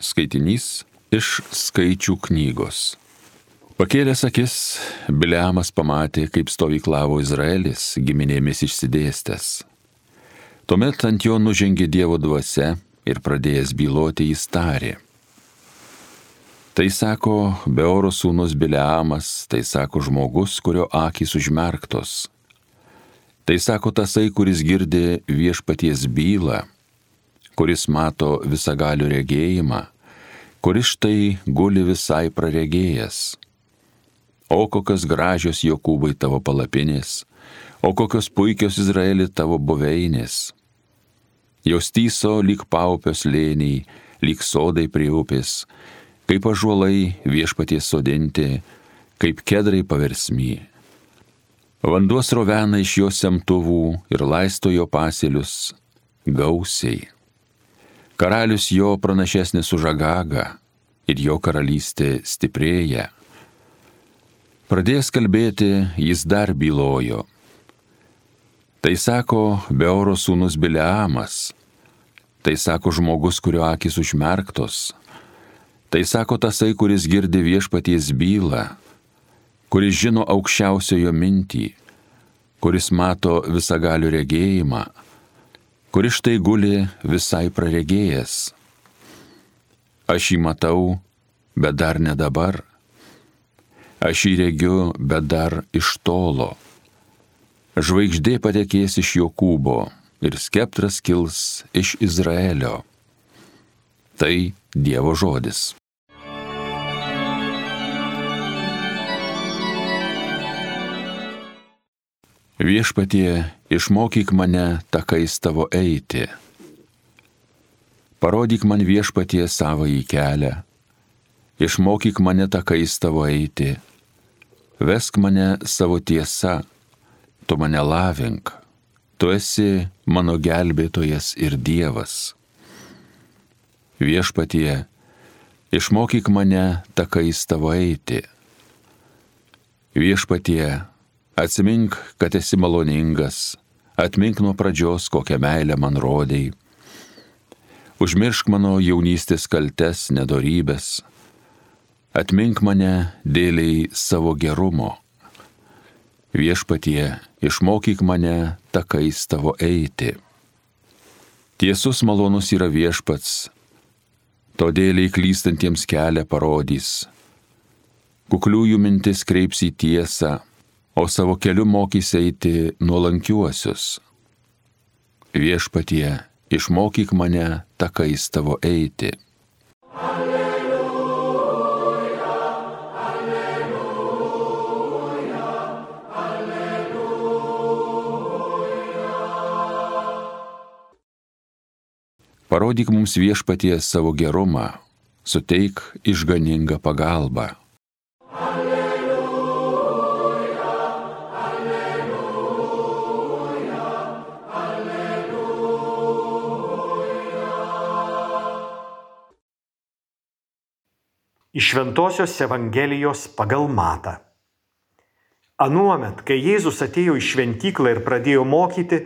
Skaitinys iš Skaičių knygos. Pakėlęs akis, Bileamas pamatė, kaip stovyklavo Izraelis giminėmis išsidėstęs. Tuomet ant jo nužengė Dievo dvasia ir pradėjęs byloti jis tarė. Tai sako Beoro sūnus Bileamas, tai sako žmogus, kurio akys užmerktos. Tai sako tasai, kuris girdi viešpaties bylą, kuris mato visagalių regėjimą, kuris štai guli visai praregėjęs. O kokios gražios Jokūbai tavo palapinės, o kokios puikios Izraeli tavo buveinės. Jos tyso lyg paupio slėniai, lyg sodai prie upės, kaip ąžuolai viešpaties sodinti, kaip kedrai paversmy. Vanduo srovena iš jo semtuvų ir laisto jo pasėlius gausiai. Karalius jo pranašesnis už Agagą ir jo karalystė stiprėja. Pradėjęs kalbėti, jis dar bylojo. Tai sako Beoro sūnus Bileamas, tai sako žmogus, kurio akys užmerktos, tai sako tasai, kuris girdi viešpaties bylą, kuris žino aukščiausiojo mintį, kuris mato visagalių regėjimą, kuris štai guli visai praregėjęs. Aš jį matau, bet dar ne dabar. Aš jį regiu, bet dar iš tolo. Žvaigždė patekės iš Jokūbo ir skeptras kils iš Izraelio. Tai Dievo žodis. Viešpatie, išmokyk mane takais tavo eiti. Parodyk man viešpatie savąjį kelią. Išmokyk mane takais tavo eiti. Vesk mane savo tiesa. Tu mane lavink. Tu esi mano gelbėtojas ir Dievas. Viešpatie, išmokyk mane takais tavo eiti. Viešpatie, atsimink, kad esi maloningas, atmink nuo pradžios, kokią meilę man rodei. Užmiršk mano jaunystės kaltes, nedorybės. Atmink mane dėliai savo gerumo. Viešpatie, išmokyk mane takais tavo eiti. Tiesus malonus yra viešpats, todėl klystantiems kelią parodys. Kukliųjų mintis kreips į tiesą, o savo keliu mokys eiti nuolankiuosius. Viešpatie, išmokyk mane takais tavo eiti. Alleluja, alleluja, alleluja. Parodyk mums viešpatie savo gerumą, suteik išganingą pagalbą. Iš Šventosios Evangelijos pagal Matą. Anuomet, kai Jėzus atėjo į šventyklą ir pradėjo mokyti,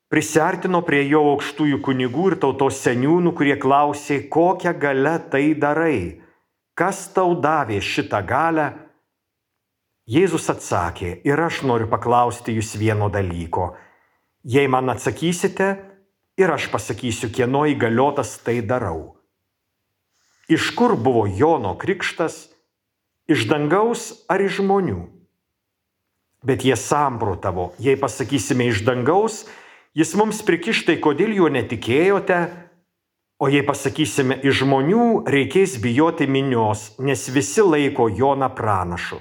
prisiartino prie jo aukštųjų kunigų ir tautos seniūnų, kurie klausė, kokią galią tai darai, kas tau davė šitą galią. Jėzus atsakė, ir aš noriu paklausti jūs vieno dalyko. Jei man atsakysite, ir aš pasakysiu, kieno įgaliotas tai darau. Iš kur buvo Jono krikštas, iš dangaus ar iš žmonių? Bet jie samprotavo, jei pasakysime iš dangaus, jis mums prikiš, tai kodėl jo netikėjote, o jei pasakysime iš žmonių, reikės bijoti minios, nes visi laiko Joną pranašu.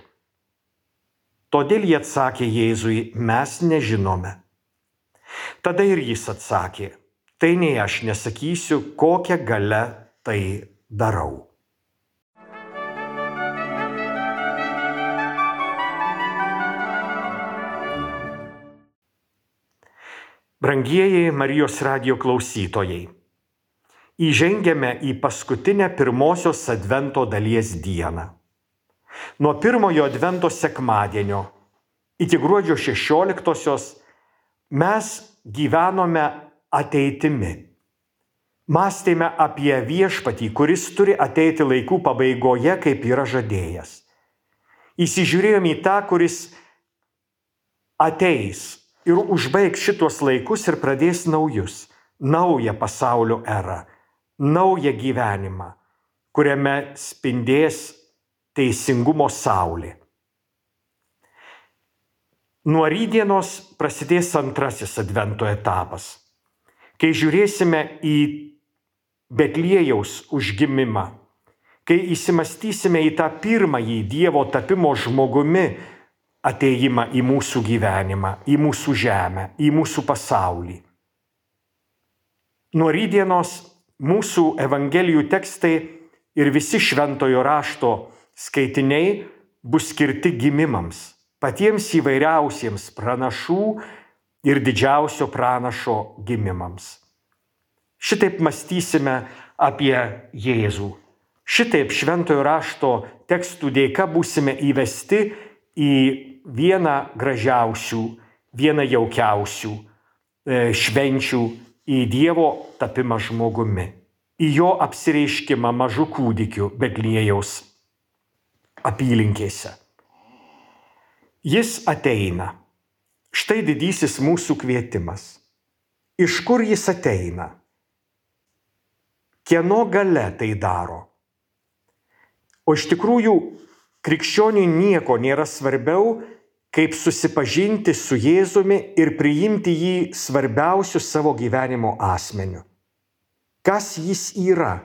Todėl jie atsakė Jėzui, mes nežinome. Tada ir jis atsakė, tai nei aš nesakysiu, kokią galią tai darau. Brangieji Marijos radijo klausytojai, įžengiame į paskutinę pirmosios advento dalies dieną. Nuo pirmojo advento sekmadienio iki gruodžio 16-osios mes gyvenome ateitimi. Mąstėme apie viešpatį, kuris turi ateiti laikų pabaigoje, kaip yra žadėjęs. Įsižiūrėjome į tą, kuris ateis ir užbaigs šitos laikus ir pradės naujus, naują pasaulio erą, naują gyvenimą, kuriame spindės teisingumo saulė. Nuo rytdienos prasidės antrasis advento etapas, kai žiūrėsime į Betliejaus užgimimą, kai įsimastysime į tą pirmąjį Dievo tapimo žmogumi atėjimą į mūsų gyvenimą, į mūsų žemę, į mūsų pasaulį. Nuo rytdienos mūsų evangelijų tekstai ir visi šventojo rašto skaitiniai bus skirti gimimams, patiems įvairiausiems pranašų ir didžiausio pranašo gimimams. Šitaip mąstysime apie Jėzų. Šitaip šventojo rašto tekstų dėka būsime įvesti į vieną gražiausių, vieną jaukiausių švenčių, į Dievo tapimą žmogumi, į jo apsireiškimą mažu kūdikiu Betliejaus apylinkėse. Jis ateina. Štai didysis mūsų kvietimas. Iš kur jis ateina? Kieno galia tai daro? O iš tikrųjų, krikščioniui nieko nėra svarbiau, kaip susipažinti su Jėzumi ir priimti jį svarbiausiu savo gyvenimo asmeniu. Kas jis yra?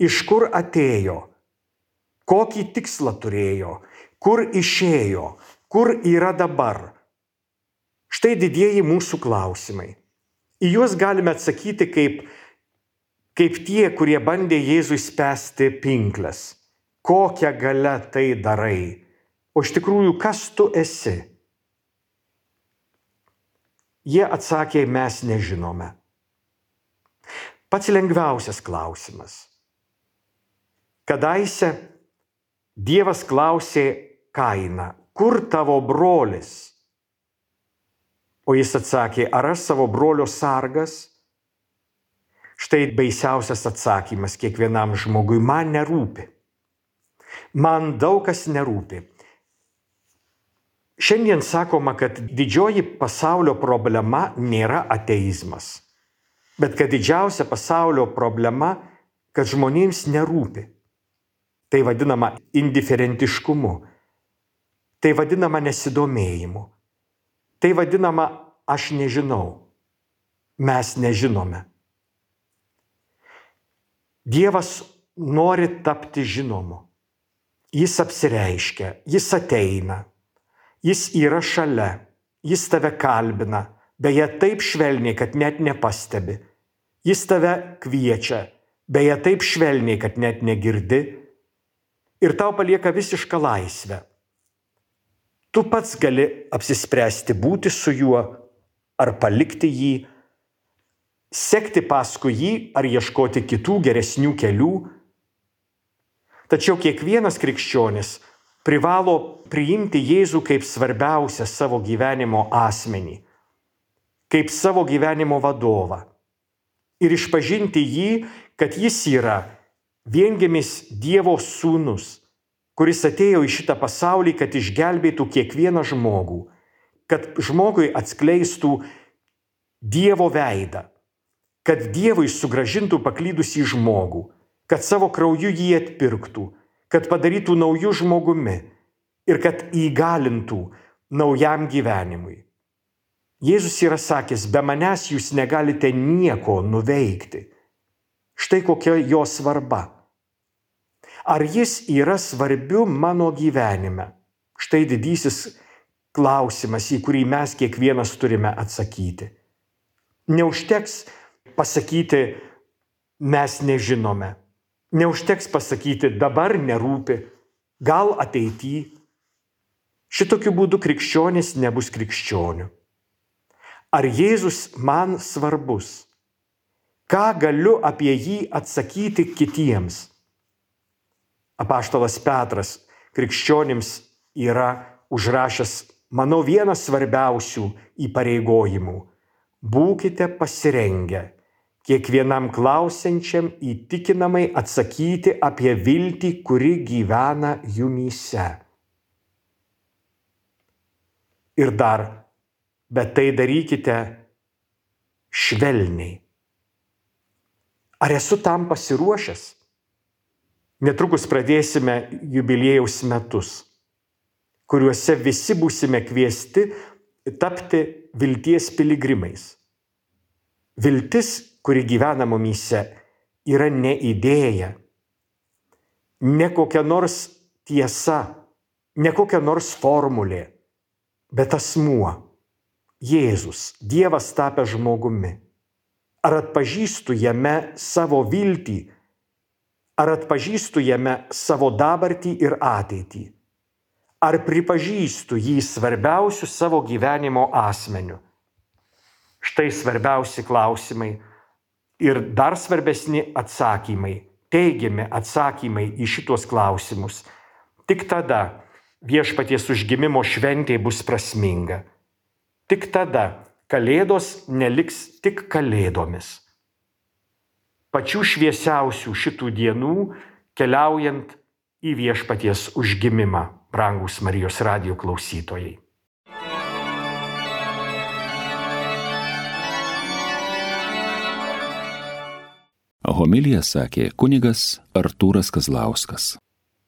Iš kur atėjo? Kokį tikslą turėjo? Kur išėjo? Kur yra dabar? Štai didieji mūsų klausimai. Į juos galime atsakyti kaip tie, kurie bandė Jėzui spęsti pinkles. Kokią galią tai darai? O iš tikrųjų, kas tu esi? Jie atsakė, mes nežinome. Pats lengviausias klausimas. Kadaise Dievas klausė Kainą, kur tavo brolis? O jis atsakė, ar aš savo brolio sargas? Štai baisiausias atsakymas kiekvienam žmogui, man nerūpi. Man daug kas nerūpi. Šiandien sakoma, kad didžioji pasaulio problema nėra ateizmas, bet kad didžiausia pasaulio problema, kad žmonėms nerūpi. Tai vadinama indiferentiškumu, tai vadinama nesidomėjimu, tai vadinama aš nežinau, mes nežinome. Dievas nori tapti žinomu. Jis apsireiškia, jis ateina, jis yra šalia, jis tave kalbina, beje taip švelniai, kad net nepastebi. Jis tave kviečia, beje taip švelniai, kad net negirdi. Ir tau palieka visišką laisvę. Tu pats gali apsispręsti būti su juo ar palikti jį, sekti paskui jį ar ieškoti kitų geresnių kelių. Tačiau kiekvienas krikščionis privalo priimti Jėzų kaip svarbiausią savo gyvenimo asmenį, kaip savo gyvenimo vadovą ir išpažinti jį, kad jis yra viengimis Dievo sūnus, kuris atėjo į šitą pasaulį, kad išgelbėtų kiekvieną žmogų, kad žmogui atskleistų Dievo veidą, kad Dievui sugrąžintų paklydusį žmogų, kad savo krauju jį atpirktų, kad padarytų naujų žmogumi ir kad įgalintų naujam gyvenimui. Jėzus yra sakęs, be manęs jūs negalite nieko nuveikti. Štai kokia jo svarba. Ar jis yra svarbiu mano gyvenime? Štai didysis klausimas, į kurį mes kiekvienas turime atsakyti. Neužteks pasakyti, mes nežinome. Neužteks pasakyti, dabar nerūpi, gal ateityje. Šitokiu būdu krikščionis nebus krikščioniu. Ar Jėzus man svarbus? Ką galiu apie jį atsakyti kitiems? Apaštalas Petras krikščionims yra užrašęs, manau, vienas svarbiausių įpareigojimų. Būkite pasirengę kiekvienam klausiančiam įtikinamai atsakyti apie viltį, kuri gyvena jumyse. Ir dar, bet tai darykite švelniai. Ar esu tam pasiruošęs? Netrukus pradėsime jubiliejaus metus, kuriuose visi būsime kviesti tapti vilties piligrimais. Viltis, kuri gyvena mumyse, yra ne idėja, ne kokia nors tiesa, ne kokia nors formulė, bet asmuo, Jėzus, Dievas tapęs žmogumi. Ar atpažįstu jame savo viltį, ar atpažįstu jame savo dabartį ir ateitį, ar pripažįstu jį svarbiausiu savo gyvenimo asmeniu. Štai svarbiausi klausimai ir dar svarbesni atsakymai, teigiami atsakymai į šitos klausimus. Tik tada Viešpaties užgimimo šventė bus prasminga. Tik tada Kalėdos neliks tik kalėdomis. Pačių šviesiausių šitų dienų keliaujant į Viešpaties užgimimą, brangūs Marijos radijo klausytojai. Homiliją sakė kunigas Artūras Kazlauskas.